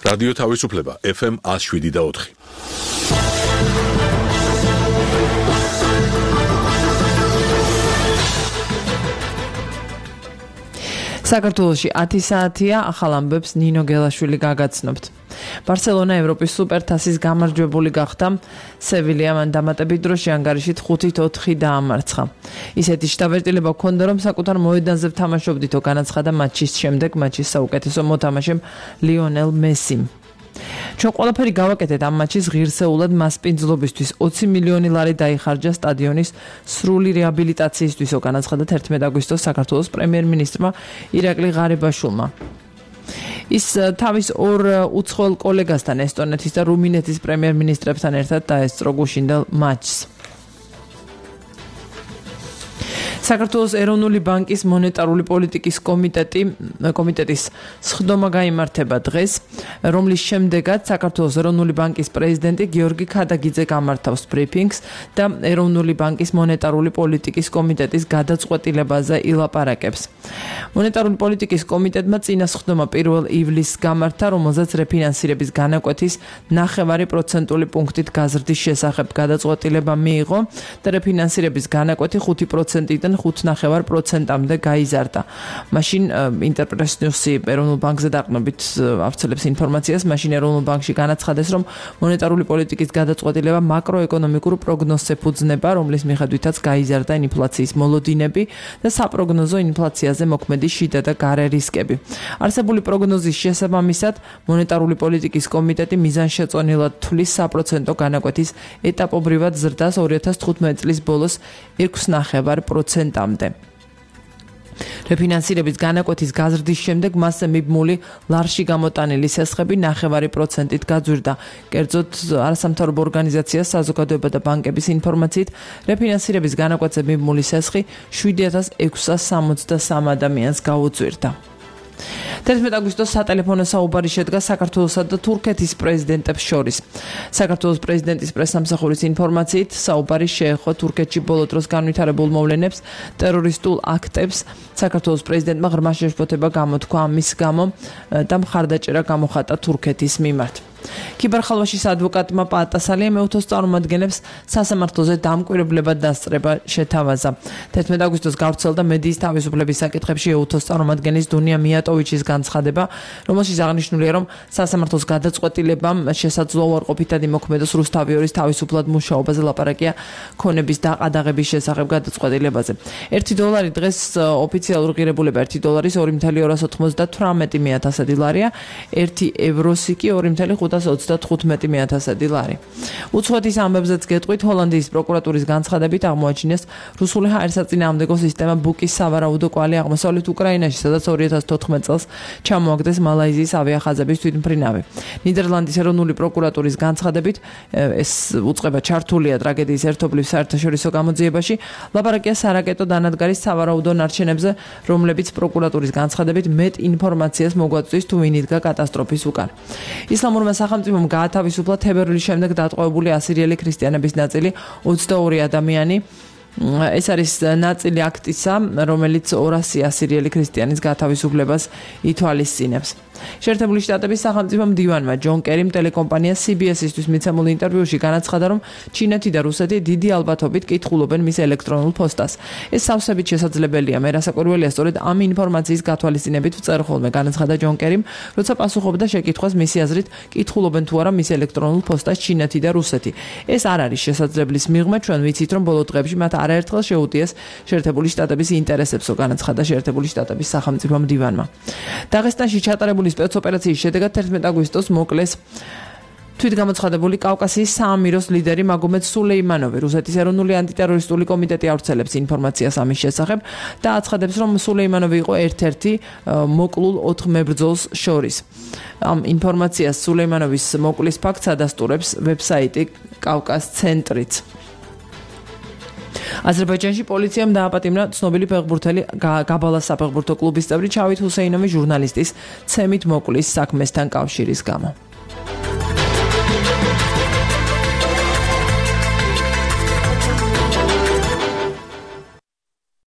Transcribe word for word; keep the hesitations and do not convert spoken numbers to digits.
რადიო თავისუფლება ეფ ემ one oh seven და four. საქართველოში ათი საათია, ახალ ამბებს ნინო გელაშვილი გაგაცნობთ. ბარსელონა ევროპის სუპერთასის გამარჯვებული გახდა. სევილია მან დამატებით დროში ანგარიშით ხუთით ოთხი დაამარცხა. ისეთი შთაბეჭდილება ჰქონდა, რომ საკუთარ მოედანზე ვთამაშობდითო, განაცხადა მატჩის შემდეგ მატჩის საუკეთესო მოთამაშემ ლიონელ მესიმ. ჩვენ ყველაფერი გავაკეთეთ ამ მატჩის ღირსეულად მასპინძლობისთვის. ოცი მილიონი ლარი დაიხარჯა სტადიონის სრული რეაბილიტაციისთვისო, განაცხადა თერთმეტ აგვისტოს საქართველოს პრემიერ-მინისტრმა ირაკლი ღარიბაშვილმა. ის თავის ორ უცხოელ კოლეგასთან, ესტონეთის და რუმინეთის პრემიერ-მინისტრებთან ერთად დაესწრო გუშინდელ მატჩს. საქართველოს ეროვნული ბანკის მონეტარული პოლიტიკის კომიტეტი კომიტეტის სხდომა გაიმართება დღეს, რომლის შემდეგაც საქართველოს ეროვნული ბანკის პრეზიდენტი გიორგი ქადაგიძე გამართავს ბრიფინგს და ეროვნული ბანკის მონეტარული პოლიტიკის კომიტეტის გადაწყვეტილებაზე ილაპარაკებს. მონეტარული პოლიტიკის კომიტეტმა წინა სხდომა პირველ ივლისს გამართა, რომელზეც რეფინანსირების განაკვეთის ნახევარი პროცენტული პუნქტით გაზრდის შესახებ გადაწყვეტილება მიიღო და რეფინანსირების განაკვეთი ხუთი პროცენტიდან ხუთ ნახევარ პროცენტამდე გაიზარდა. მაშინ ინტერპრეს ნიუსი ეროვნულ ბანკზე დაყრდნობით ავრცელებს ინფორმაციას, მაშინ ეროვნულ ბანკში განაცხადეს, რომ მონეტარული პოლიტიკის გადაწყვეტილება მაკროეკონომიკურ პროგნოზს ეფუძნება, რომლის მიხედვითაც გაიზარდა ინფლაციის მოლოდინები და საპროგნოზო ინფლაციაზე მოქმედი შიდა და გარე რისკები. არსებული პროგნოზის შესაბამისად, მონეტარული პოლიტიკის კომიტეტი მიზანშეწონილად თვლის საპროცენტო განაკვეთის ეტაპობრივად ზრდას ორი ათას თხუთმეტი წლის ბოლოს ექვსი ნახევარ პროცენტამდე. რეფინანსირების განაკვეთის გაზრდის შემდეგ მასზე მიბმული ლარში გამოტანილი სესხები ნახევარი პროცენტით გაძვირდა. კერძოდ, არასამთავრობო ორგანიზაცია საზოგადოება და ბანკების ინფორმაციით, რეფინანსირების განაკვეთზე მიბმული სესხი შვიდი ათას ექვსსა სამოცდასამ ადამიანს გაუძვირდა. თერთმეტ აგვისტოს სატელეფონო საუბარი შედგა საქართველოსა და თურქეთის პრეზიდენტებს შორის. საქართველოს პრეზიდენტის პრესსამსახურის ინფორმაციით, საუბარი შეეხო თურქეთში ბოლო დროს განვითარებულ მოვლენებს, ტერორისტულ აქტებს. საქართველოს პრეზიდენტმა ღრმა შეშფოთება გამოთქვა ამის გამო და მხარდაჭერა გამოხატა თურქეთის მიმართ. ქიბერხალვაშის ადვოკატმა პაატასალია მეუთოს წარმომადგენლებს სასამართლოზე დამკვირვებლებად დასწრება შეთავაზა. თერთმეტ აგვისტოს გავრცელდა მედიის თავისუფლების საკითხებში ეუთოს წარმომადგენლის დუნია მიატოვიჩის განცხადება, რომელშიც აღნიშნულია, რომ სასამართლოს გადაწყვეტილებამ შესაძლოა უარყოფითად იმოქმედოს რუსთავიორის თავისუფლად მუშაობაზე, ლაპარაკია ქონების დაყადაღების შესახებ გადაწყვეტილებაზე. ერთი დოლარი დღეს ოფიციალურ ღირებულება ერთი დოლარის ორი ათეული ორას ოცდათვრამეტი ათასადი ლარია, ერთი ევროსი კი ორი ათეული ხუთას ოცდათხუთმეტი ათასადი ლარი. უცხოეთის ამბებზეც გეტყვით, ჰოლანდიის პროკურატურის განცხადებით აღმოაჩინეს რუსული ჰაერსაწინააღმდეგო სისტემა ბუკის სავარაუდო კვალი აღმოსავლეთ უკრაინაში, სადაც ორი ათას თოთხმეტ წელს ჩამოაგდეს მალაიზიის ავიახაზების თვითმფრინავი. ნიდერლანდის ეროვნული პროკურატურის განცხადებით, ეს უწყება ჩართულია ტრაგედიის ერთობლივ საერთაშორისო გამოძიებაში, ლაპარაკია სარაკეტო დანადგარის სავარაუდო ნარჩენებზე, რომლებიც პროკურატურის განცხადებით მეტ ინფორმაციას მოგვაწვდის თუ ვინ იდგა კატასტროფის უკან. ისლამურმა სახელმწიფომ გაათავისუფლა თებერვლის შემდეგ დატყვევებული ასირიელი ქრისტიანების ნაწილი ოცდაორი ადამიანი. ეს არის ნაწილი აქტისა, რომელიც ორასი ასირიელი ქრისტიანის გათავისუფლებას ითვალისწინებს. შეერთებული შტატების სახელმწიფო მდივანმა ჯონ კერიმ ტელეკომპანია სი ბი ეს-ისთვის მიცემულ ინტერვიუში განაცხადა, რომ ჩინეთი და რუსეთი დიდი ალბათობით კითხულობენ მის ელექტრონულ ფოსტას. ეს სავსებით შესაძლებელია, მე რასაკვირველია, სწორედ ამ ინფორმაციის გათვალისწინებით ვწერ ხოლმე, განაცხადა ჯონ კერიმ, როცა პასუხობდა შეკითხვას მისი აზრით, კითხულობენ თუ არა მის ელექტრონულ ფოსტას ჩინეთი და რუსეთი. ეს არ არის შესაძლებლის მიღმა, ჩვენ ვიცით, რომ ბოლო დღეებში მათ არაერთხელ შეუტიეს შეერთებული შტატების ინტერესებსო, განაცხადა შეერთებული შტატების სახელმწიფო მდივანმა. დაღესტანში ჩატარებული სპეცოპერაციის შედეგად თერთმეტ აგვისტოს მოკლეს თვითგამოცხადებული კავკასიის საამიროს ლიდერი მაგომედ სულეიმანოვი. რუსეთის ეროვნული ანტიტერორისტული კომიტეტი ავრცელებს ინფორმაციას ამის შესახებ და აცხადებს, რომ სულეიმანოვი იყო ერთ-ერთი მოკლულ ოთხ მებრძოლს შორის. ამ ინფორმაციას სულეიმანოვის მოკლის ფაქტს ადასტურებს ვებსაიტი კავკას ცენტრიც. აზერბაიჯანში პოლიციამ დააპატიმრა ცნობილი ფეხბურთელი გაბალას საფეხბურთო კლუბის წევრი ჩავით ჰუსეინოვი ჟურნალისტის ცემით მოკლის საქმესთან კავშირის გამო.